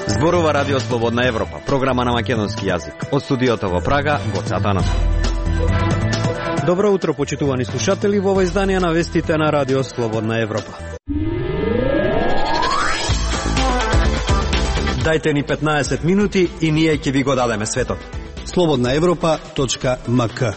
Зборува Радио Слободна Европа, програма на македонски јазик. Од студиото во Прага, Гоце Атанасов. Добро утро, почитувани слушатели, во ова издание на вестите на Радио Слободна Европа. Дајте ни 15 минути и ние ќе ви го дадеме светот. slobodnaevropa.mk.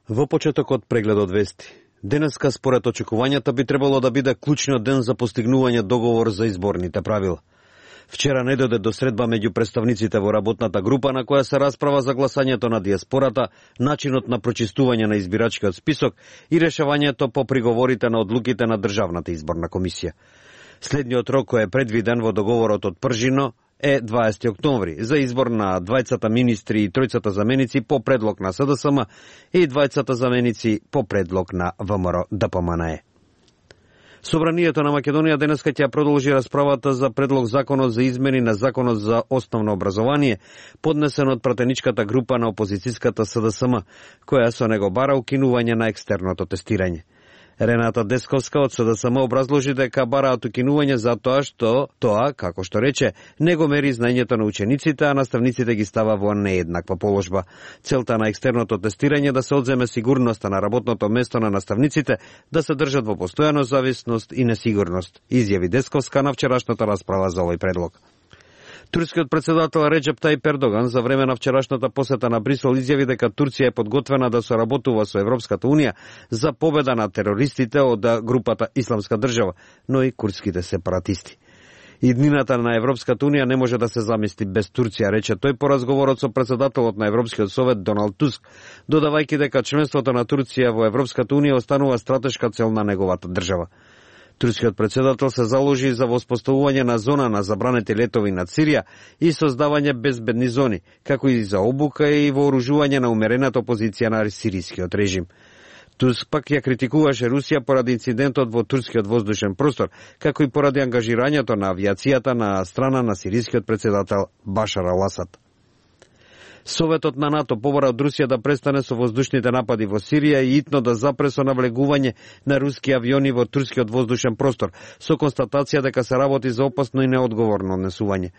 Во почетокот прегледот вести. Денеска според очекувањата би требало да биде клучниот ден за постигнување договор за изборните правила. Вчера не дојде до средба меѓу представниците во работната група на која се расправа за гласањето на диаспората, начинот на прочистување на избирачкиот список и решавањето по приговорите на одлуките на Државната изборна комисија. Следниот рок кој е предвиден во договорот од Пржино е 20 октомври за избор на двајцата министри и тројцата заменици по предлог на СДСМ и двајцата заменици по предлог на ВМРО ДПМНЕ. Собранието на Македонија денеска ќе продолжи расправата за предлог законот за измени на законот за основно образование, поднесен од пратеничката група на опозицијската СДСМ, која со него бара укинување на екстерното тестирање. Рената Десковска од СДСМ образложи дека бараат укинување затоа што тоа, како што рече, не го мери знаењето на учениците, а наставниците ги става во нееднаква положба. Целта на екстерното тестирање да се одземе сигурноста на работното место на наставниците, да се држат во постојана зависност и несигурност, изјави Десковска на вчерашната расправа за овој предлог. Турскиот председател Реджеп Тајип Ердоган за време на вчерашната посета на Брисел изјави дека Турција е подготвена да соработува со Европската унија за победа на терористите од групата Исламска држава, но и курдските сепаратисти. Иднината на Европската унија не може да се замисли без Турција, рече тој по разговорот со председателот на Европскиот совет Доналд Туск, додавајќи дека членството на Турција во Европската унија останува стратешка цел на неговата држава. Турскиот председател се заложи за воспоставување на зона на забранети летови над Сирија и создавање безбедни зони, како и за обука и вооружување на умерената опозиција на сирискиот режим. Туск пак ја критикуваше Русија поради инцидентот во турскиот воздушен простор, како и поради ангажирањето на авиацијата на страна на сирискиот председател Башар ал-Асад. Советот на НАТО побара од Русија да престане со воздушните напади во Сирија и итно да запре со навлегување на руски авиони во турскиот воздушен простор, со констатација дека се работи за опасно и неодговорно однесување.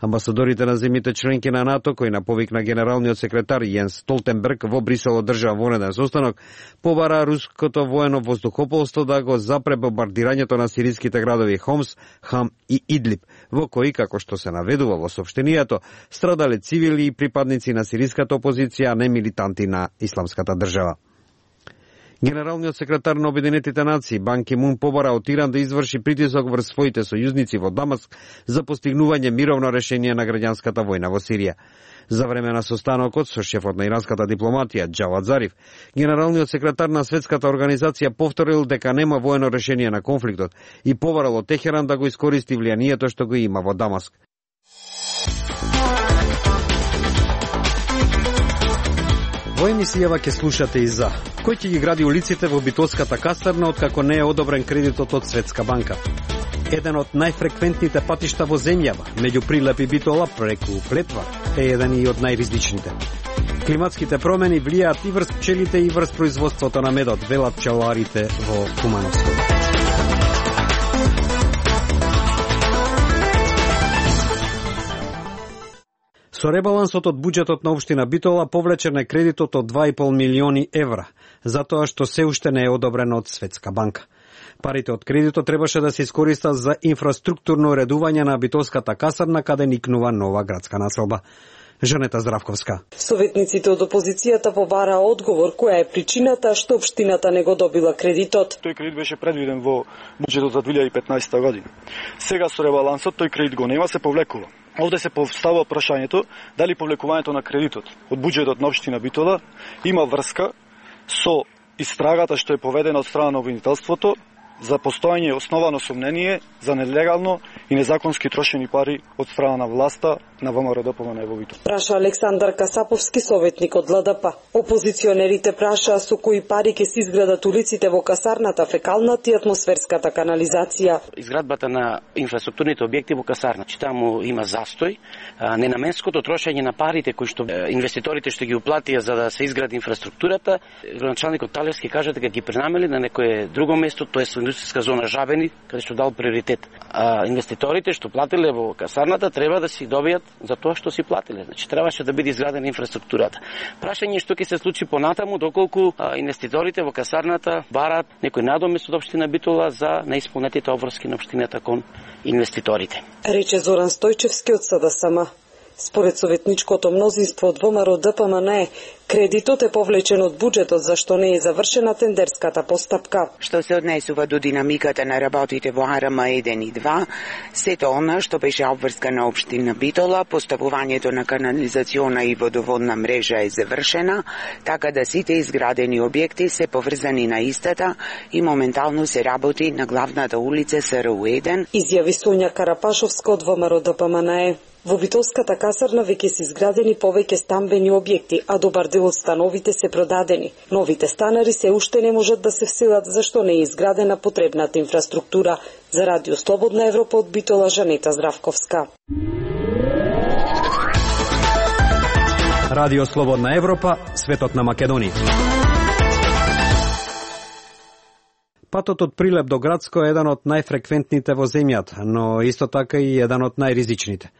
Амбасадорите на земјите членки на НАТО, кои на повик на генералниот секретар Јенс Столтенберг во Брисел одржаа вонеден состанок, побара руското воено воздухопловство да го запре бомбардирањето на сириските градови Хомс, Хам и Идлиб, во кои, како што се наведува во соопштенијето, страдале цивили и припадници на сириската опозиција, а не милитанти на Исламската држава. Генералниот секретар на Обединетите нации Бан Ки Мун побара од Иран да изврши притисок врз своите сојузници во Дамаск за постигнување мировно решение на граѓанската војна во Сирија. За време на состанокот со шефот на иранската дипломатија Џавад Зариф, генералниот секретар на Светската организација повторил дека нема воено решение на конфликтот и побарал од Техеран да го искористи влијанието што го има во Дамаск. Во емисијава ќе слушате и за кој ќе ги гради улиците во Битолската касарна откако не е одобрен кредитот од Светска банка. Еден од најфреквентните патишта во земјава, меѓу Прилеп и Битола преку Плетва, е еден и од најризичните. Климатските промени влијаат и врз пчелите и врз производството на медот, велат пчеларите во Кумановско. Со ребалансот од буџетот на општина Битола повлечен е кредитот од 2,5 милиони евра, затоа што се уште не е одобрено од Светска банка. Парите од кредитот требаше да се искористат за инфраструктурно уредување на Битолската касарна, каде никнува нова градска населба. Жанета Здравковска. Советниците од опозицијата побараа одговор која е причината што општината не го добила кредитот. Тој кредит беше предвиден во буџетот за 2015 година. Сега со ребалансот тој кредит го нема, се повлекува. Овде се поставува прашањето дали повлекувањето на кредитот од буџетот на општина Битола има врска со истрагата што е поведена од страна на обвинителството за постојање основано сомнение за нелегално и незаконски трошени пари од страна на власта на ВМРО-ДПМНЕ во Битола. Праша Александар Касаповски, советник од ЛДП. Опозиционерите прашаа со кои пари ќе се изградат улиците во касарната, фекалната и атмосферската канализација. Изградбата на инфраструктурните објекти во касарна, таму има застој, ненаменското трошење на парите кои што инвеститорите што ги уплатија за да се изгради инфраструктурата, градоначалникот Талевски кажа дека ги пренамели на некое друго место, тоа е индустријска зона Жабени, каде што дал приоритет. А инвеститорите што платиле во касарната треба да си добијат за тоа што си платиле. Значи требаше да биде изградена инфраструктурата. Прашање што ќе се случи понатаму доколку инвеститорите во касарната бараат некој надомест од општина Битола за неисполнетите обврски на општината кон инвеститорите. Рече Зоран Стојчевски од СДСМ. Според советничкото мнозинство од ВМРО-ДПМНЕ, кредитот е повлечен од буџетот, зашто не е завршена тендерската постапка. Што се однесува до динамиката на работите во АРМ 1 и 2, сето она што беше обврска на општина Битола, поставувањето на канализациона и водоводна мрежа е завршена, така да сите изградени објекти се поврзани на истата и моментално се работи на главната улица СРУ 1. Изјави Сонја Карапашовска од ВМРО-ДПМНЕ. Во Битолската касарна веќе се изградени повеќе стамбени објекти, а добар дел од становите се продадени. Новите станари се уште не можат да се вселат зашто не е изградена потребната инфраструктура. За Радио Слободна Европа од Битола, Жанета Здравковска. Радио Слободна Европа, светот на Македонија. Патот од Прилеп до Грацко е еден од најфреквентните во земјата, но исто така и еден од најризичните.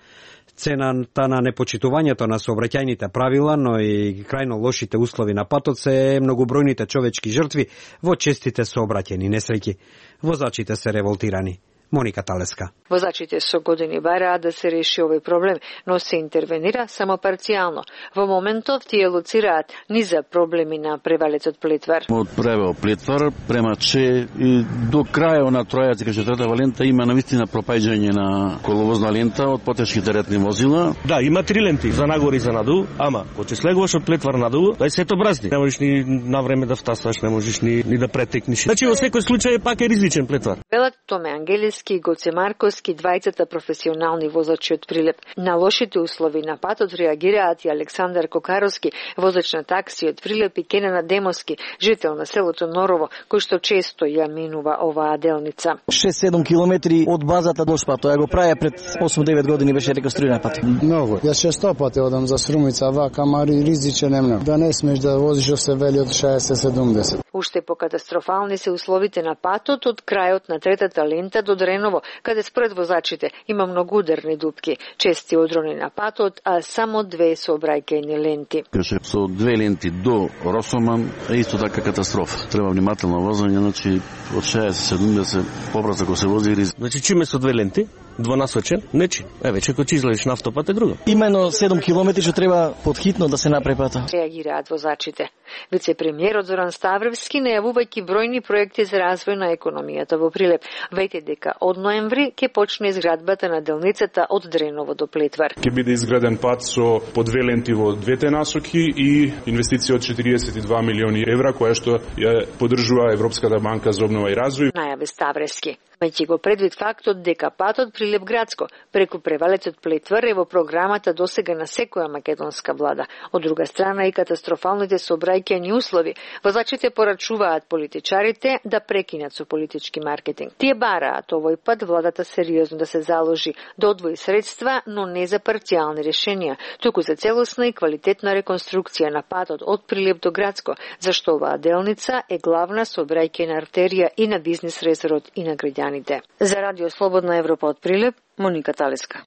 Цената на непочитувањето на сообраќајните правила, но и крајно лошите услови на патот се многобројните човечки жртви во честите сообраќајни несреќи. Возачите се револтирани. Моника Талеска. Возачите со години бараат да се реши овој проблем, но се интервенира само парцијално. Во моментов тие лоцираат низа проблеми на превалецот Плетвар. Од превал Плетвар према Че и до крајот на тројата кај четвртата лента има навистина пропаѓање на коловозна лента од потешки теретни возила. Да, има 3 ленти за нагоре и за надолу, ама кога слегуваш од Плетвар надолу, дај сето бразни. Не можеш ни на време да втасваш, не можеш ни да претекнеш. Значи во секој случај пак е ризичен Плетвар. Велат Томе Ангелиски и Гоце Марковски, двајцата професионални возачи од Прилеп. На лошите услови на патот реагираат и Александар Кокаровски, возач на такси од Прилеп, и Кенена Демовски, жител на селото Норово, кој што често ја минува оваа делница. 6-7 километри од базата до шпат. Тоа го праја пред 8-9 години, беше реконструиран пат. Многу. Јас често пати одам за Срумица, вака, мари ризичен е многу. Да не смеш да возиш од се вели од 60-70. Уште покатастрофални се условите на патот од крајот на третата лента до Дреново, каде според возачите има многу ударни дупки, чести одрони на патот, а само 2 сообраќајни ленти. Со 2 ленти до Росоман е исто така катастрофа. Треба внимателно возење, значи од 60-70 побрзо ако се вози ризик. Значи чиме со 2 ленти, двонасочен, нечи. Веќе кога излезеш на автопат е друго. Имено 7 километри што треба подхитно да се направи пата. Реагираат возачите. Вице-премиерот Зоран Ставревски најавувајќи бројни проекти за развој на економијата во Прилеп, веќе дека од ноември ќе почне изградбата на делницата од Дреново до Плетвар. Ќе биде изграден пат со по 2 ленти во двете насоки и инвестиција од 42 милиони евра, која што ја поддржува Европската банка за обнова и развој. Најави Ставревски. Мајќи го предвид фактот дека патот Прилеп Градско преку превалецот Плетвар е во програмата досега на секоја македонска влада. Од друга страна и катастрофалните сообраќајни услови, возачите порачуваат политичарите да прекинат со политички маркетинг. Тие бараат овој пат владата сериозно да се заложи, да одвои средства, но не за парцијални решенија, туку за целосна и квалитетна реконструкција на патот од Прилеп до Градско, зашто оваа делница е главна сообраќајна артерија и на бизнис резерот и на граѓаните. За Радио Слободна Европа од Прилеп, Моника Талеска.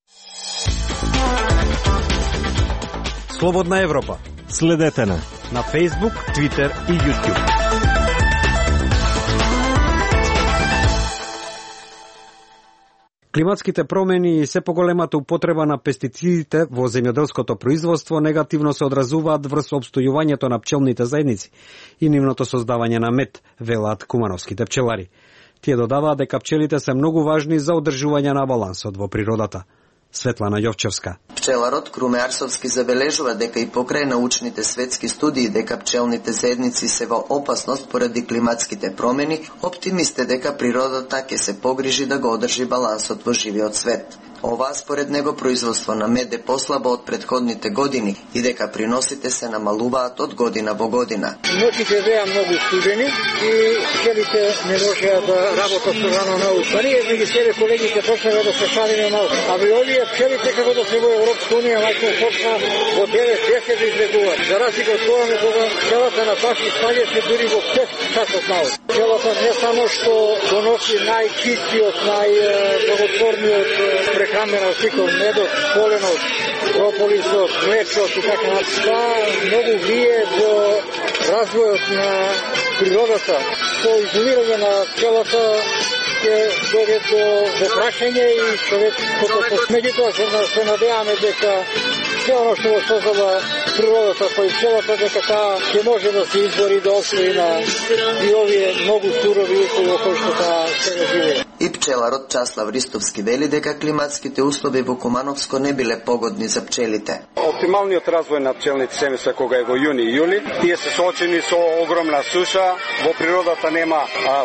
Слободна Европа. Следете на Facebook, Twitter и YouTube. Климатските промени и се поголемата употреба на пестицидите во земјоделското производство негативно се одразуваат врз опстојувањето на пчелните заедници и нивното создавање на мед, велат кумановските пчелари. Тие додаваат дека пчелите се многу важни за одржување на балансот во природата. Светлана Јовчевска. Пчеларот Круме Арсовски забележува дека и покрај научните светски студии дека пчелните заедници се во опасност поради климатските промени, оптимист е дека природата ќе се погрижи да го одржи балансот во живиот свет. Ова според него производство на мед е послабо од претходните години и дека приносите се намалуваат од година во година. Ноќите беа многу студени и пчелите не можеа да работат со рано научно. Ние меѓу себе колегите почнеме да се шалиме малку. А ви овие пчелите како да се во Европска унија мајко почна во 9-10 да излегуваат. За разлика од тоа кога пчелата на паши спаѓаше дури во 5 часот научно. Пчелата не само што доноси најчистиот, најблаготворниот прехранена артикул, медот, поленот, прополисот, млечот и така натаму, многу влие во развојот на природата. Со изолирање на пчелата ќе дојде до прашање и човекото. Меѓутоа се надеваме дека се оно што го создава природата кој пчелата, дека таа ќе може да се избори да освои на и овие многу сурови услови кои што таа сега живее. И пчеларот Часлав Ристовски вели дека климатските услови во Кумановско не биле погодни за пчелите. Оптималниот развој на пчелните семејства кога е во јуни и јули, тие се соочени со огромна суша, во природата нема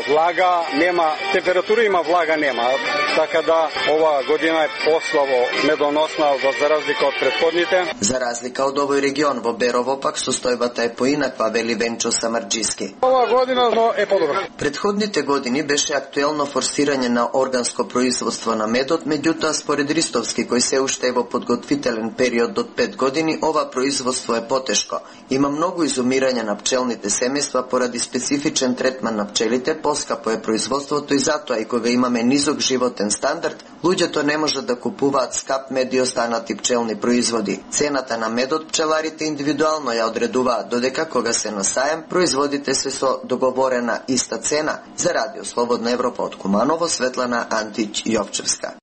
влага, нема температура, има влага, нема. Така да ова година е послабо медоносна за разлика од претходните. За разлика од овој регион во Берово пак состојбата е поинаква, вели Венчо Самарџиски. Ова година е подобра. Предходните години беше актуелно форсирање на органско производство на медот, меѓутоа според Ристовски, кој се уште е во подготвителен период од 5 години, ова производство е потешко. Има многу изумирање на пчелните семејства поради специфичен третман на пчелите, поскапо е производството и затоа и кога имаме низок животен стандард, луѓето не можат да купуваат скап мед и останати пчелни производи. Цената на медот пчеларите индивидуално ја одредуваат, додека кога се на саем, производите се со договорена иста цена. За Радио Слободна Европа од Куманово, Светлана Антич Јовчевска.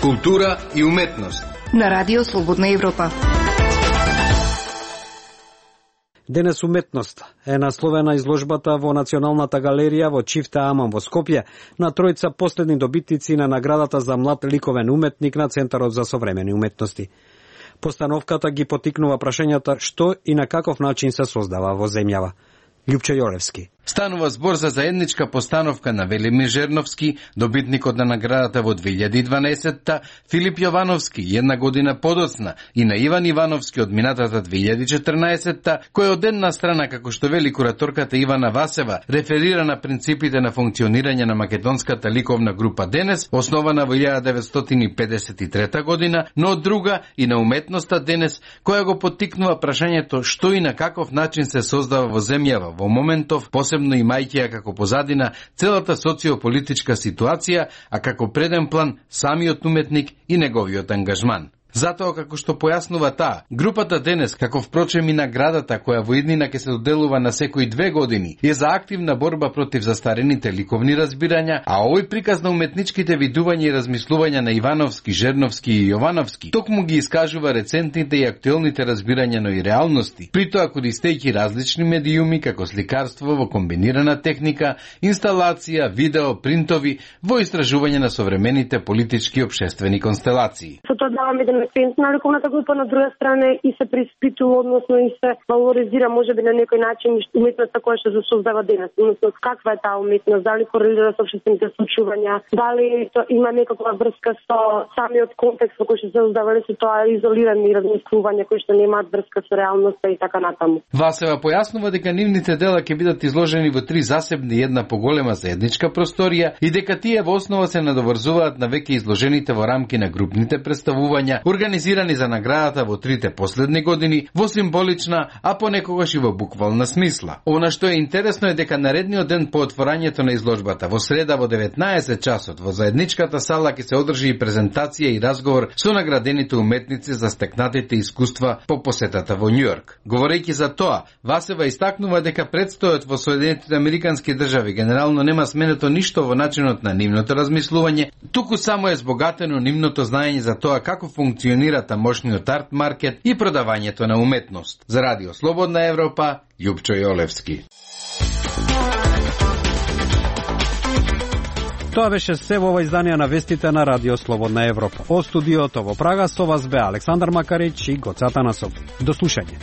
Култура и уметност на Радио Слободна Европа. Денес уметност е насловена изложбата во Националната галерија во Чифта Аман во Скопје на тројца последни добитници на наградата за млад ликовен уметник на Центарот за современи уметности. Постановката ги потикнува прашањата што и на каков начин се создава во земјава. Љупчо Јолевски. Станува збор за заедничка постановка на Велимир Жерновски, добитникот на наградата во 2012-та, Филип Јовановски, една година подоцна, и на Иван Ивановски од минатата 2014-та, кој од една страна, како што вели кураторката Ивана Васева, реферира на принципите на функционирање на македонската ликовна група Денес, основана во 1953 година, но од друга и на уметноста Денес, која го поттикнува прашањето што и на каков начин се создава во земјава во моментов, посебно имајќи како позадина целата социополитичка ситуација, а како преден план самиот уметник и неговиот ангажман. Затоа, како што појаснува таа, групата Денес, како впрочем и наградата која во иднина ќе се доделува на секои 2 години, е за активна борба против застарените ликовни разбирања, а овој приказ на уметничките видувања и размислувања на Ивановски, Жерновски и Јовановски токму ги искажува рецентните и актуелните разбирања, но и реалности, притоа користејќи различни медиуми како сликарство во комбинирана техника, инсталација, видео, принтови, во истражување на современите политички и општествени констелации. Експертна на ликовната група, на друга страна и се преиспитува, односно и се валоризира можеби на некој начин уметноста која што се создава денес. Односно каква е таа уметност, дали корелира со општествените случувања, дали има некаква врска со самиот контекст во кој што се создава, или се тоа изолирани размислувања кои што немаат врска со реалноста и така натаму. Васева појаснува дека нивните дела ќе бидат изложени во 3 засебни и една поголема заедничка просторија и дека тие во основа се надоврзуваат на веќе изложените во рамки на групните представувања организирани за наградата во 3 последни години во символична, а понекогаш и во буквална смисла. Она што е интересно е дека наредниот ден по отворањето на изложбата во среда во 19 часот во заедничката сала ќе се одржи и презентација и разговор со наградените уметници за стекнатите искуства по посетата во Њујорк. Говорејќи за тоа, Васева истакнува дека предстојот во Соединетите Американски држави генерално нема сменето ништо во начинот на нивното размислување, туку само е збогатено нивното знаење за тоа како функционира тамошниот арт маркет и продавањето на уметност. За Радио Слободна Европа, Љупчо Јолевски. Тоа беше се во ова издание на вестите на Радио Слободна Европа. О студиото во Прага со вас бе Александар Макарич и Гоце Атанасов. До слушање.